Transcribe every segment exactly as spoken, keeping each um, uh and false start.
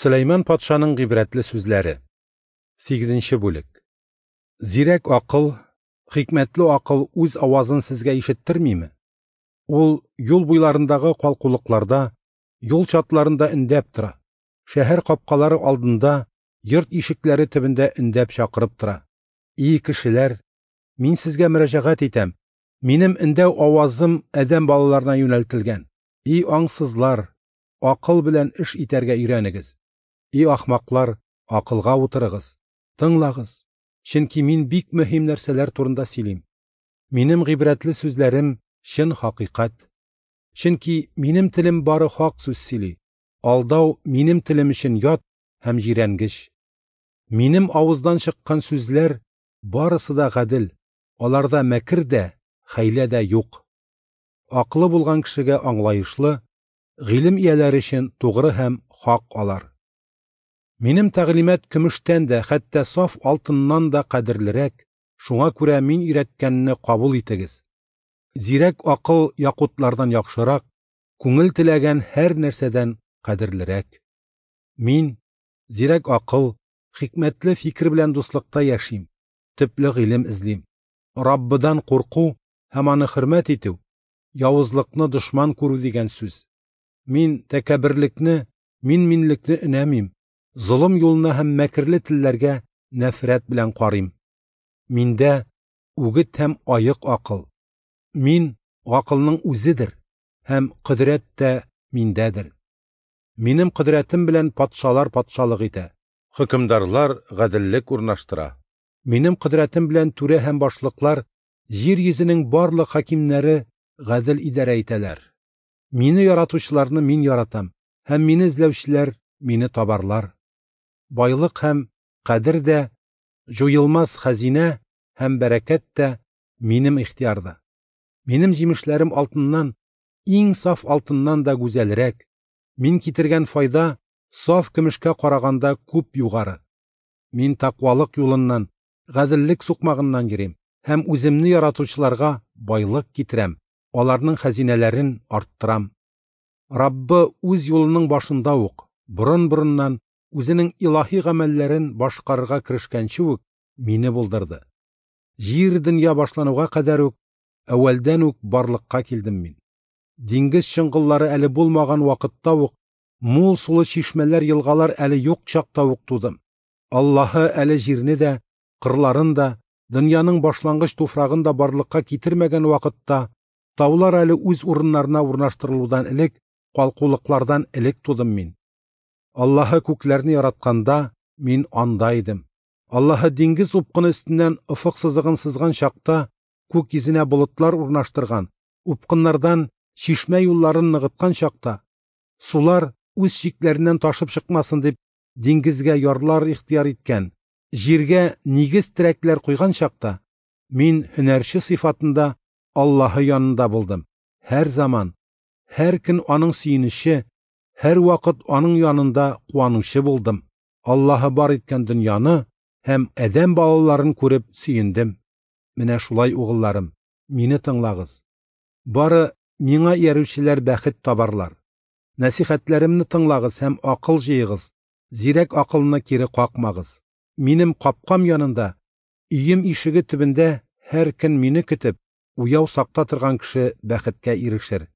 Сөләйман патшаның гыйбрәтле сүзләре. Сигезенче бүлек. Зирәк акыл, хикмәтле акыл үз авазын сезгә ишеттермиме? Ул юл буйларындагы калкулыкларда, юл чатларында өндәп тора, шәһәр капкалары алдында, йорт ишекләре төбендә өндәп чакырып тора. И кешеләр, мин сезгә мөрәҗәгать итәм, минем өндәү авазым адәм балаларына юнәлтелгән. И аңсызлар, акыл белән эш итәргә өйрәнегез. И ахмаклар, акылга утырыгыз, тыңлагыз, чөнки мин бик мөһим нәрсәләр турында сөйлим. Минем гыйбрәтле сүзләрем чын хакыйкать. Чөнки минем телем бары хак сүз сөйли. Алдау минем телем өчен ят һәм җирәнгеч. Минем авыздан чыккан сүзләр барысы да гадел, аларда мәкер дә, хәйлә дә юк. Акылы булган кешегә аңлаешлы, гыйлем ияләре өчен тугры һәм хак алар. Минем тәгълимат көмештән дә, хәтта саф алтыннан да кадерлерәк, шуңа күрә мин өйрәткәнне кабул итегез. Зирәк акыл якутлардан яхшырак, күңел теләгән һәр нәрсәдән кадерлерәк. Мин, зирәк акыл, хикмәтле фикер белән дуслыкта яшим, төпле гыйлем эзлим. Раббыдан курку һәм аны хөрмәт итү, явызлыкны дошман күрү дигән сүз. Мин тәкәбберлекне, мин-минлекне өнәмим, золым юлына һәм мәкерле телләргә нәфрәт белән карыйм. Миндә үгет һәм аек акыл. Мин акылның үзедер һәм кодрәт тә миндәдер. Минем кодрәтем белән патшалар патшалык итә, хөкемдарлар гаделлек урнаштыра. Минем кодрәтем белән түрә һәм башлыклар, җир йөзенең барлык хакимнәре гадел идарә итәләр. Мине яратучыларны мин яратам, һәм мине эзләүчеләр мине табарлар. Байлык һәм кадер дә, җуелмас хәзинә һәм бәрәкәт тә минем ихтыярда. Минем җимешләрем алтыннан, иң саф алтыннан да гүзәлрәк. Мин китергән файда саф көмешкә караганда күп югары. Мин тәкъвалык юлыннан, гаделлек сукмагыннан йөрим һәм үземне яратучыларга байлык китерәм, аларның хәзинәләрен арттырам. Раббы үз юлының башында ук, борын-борыннан үзенең илаһи гамәлләрен башкарырга керешкәнче үк мине булдырды. Җир дөнья башлануга кадәр үк, әүвәлдән үк барлыкка килдем мин. Диңгез чоңгыллары әле булмаган вакытта ук, мул сулы чишмәләр, елгалар әле юк чакта ук тудым. Аллаһы әле җирне дә, кырларын да, дөньяның башлангыч туфрагын да барлыкка китермәгән вакытта, таулар әле үз урыннарына урнаштырылудан элек, калкулыклардан элек тудым мин. Аллаһы күкләрне яратканда мин анда идем. Аллаһы диңгез упкыны өстеннән офык сызыгын сызган чакта, күк йөзенә болытлар урнаштырган, упкыннардан чишмә юлларын ныгыткан чакта, сулар үз чикләреннән ташып чыкмасын дип диңгезгә ярлар ихтыяр иткән, җиргә нигез терәкләр куйган чакта, мин һөнәрче сыйфатында Аллаһы янында булдым. Һәр заман, һәр көн аның сөенече, һәр вакыт аның янында куанучы булдым. Аллаһы бар иткән дөньяны һәм адәм балаларын күреп сөендем. Менә шулай, угылларым, мине тыңлагыз. Бары миңа иярүчеләр бәхет табарлар. Нәсихәтләремне тыңлагыз һәм акыл җыегыз, зирәк акылны кире какмагыз. Минем капкам янында, өем ишеге төбендә һәр көн мине көтеп, уяу сакта торган кеше бәхеткә ирешер.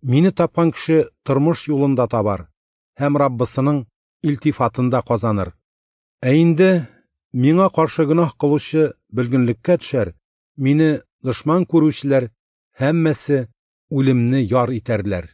Мине тапкан кеше тормыш юлын да табар һәм Раббысының илтифатын да казаныр. Ә инде миңа каршы гөнаһ кылучы бөлгенлеккә төшәр, мине дошман күрүчеләр һәммәсе үлемне яр итәрләр.